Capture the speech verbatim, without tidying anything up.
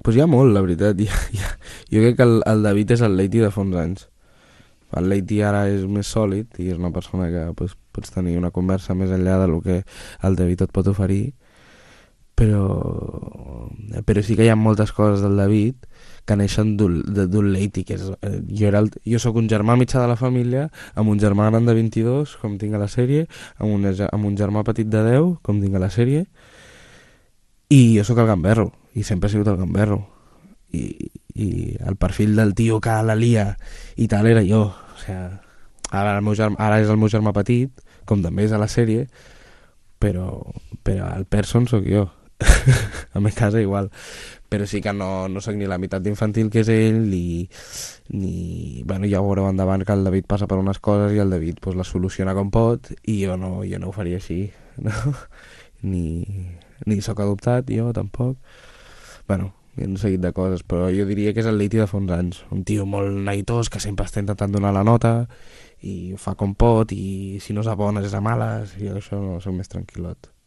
Pues hi ha molt, la veritat. Hi ha, hi ha... Jo crec que el, el David és el Leiti de fa uns anys. El Leiti ara és més sòlid i és una persona que pues, pots tenir una conversa més enllà del que el David et pot oferir, però, però sí que hi ha moltes coses del David que neixen d'un de- d'un Leiti, que és, eh, jo, era el, jo sóc un germà mitjà de la família, amb un germà gran de vint-i-dos, com tinc a la sèrie, amb un, amb un germà petit de deu, com tinc a la sèrie, i jo sóc el gamberro, i sempre he sigut el gamberro. I, i el perfil del tio que la lia i tal era jo. O sea, ara, el meu germà, ara és el meu germà petit, com també és a la sèrie, però, però el person sóc jo. A mi casa igual. Però sí que no, no sóc ni la meitat d'infantil que és ell, ni, ni... Bueno, ja ho veureu endavant que el David passa per unes coses i el David pues, les soluciona com pot i jo no, jo no ho faria així. No? Ni, ni sóc adoptat, jo tampoc. Bueno, hi ha un seguit de coses, però jo diria que és el Leiti de fa uns anys. Un tio molt neitós que sempre està intentant donar la nota i ho fa com pot i si no és a bones és a males i això no, soc més tranquil·lot.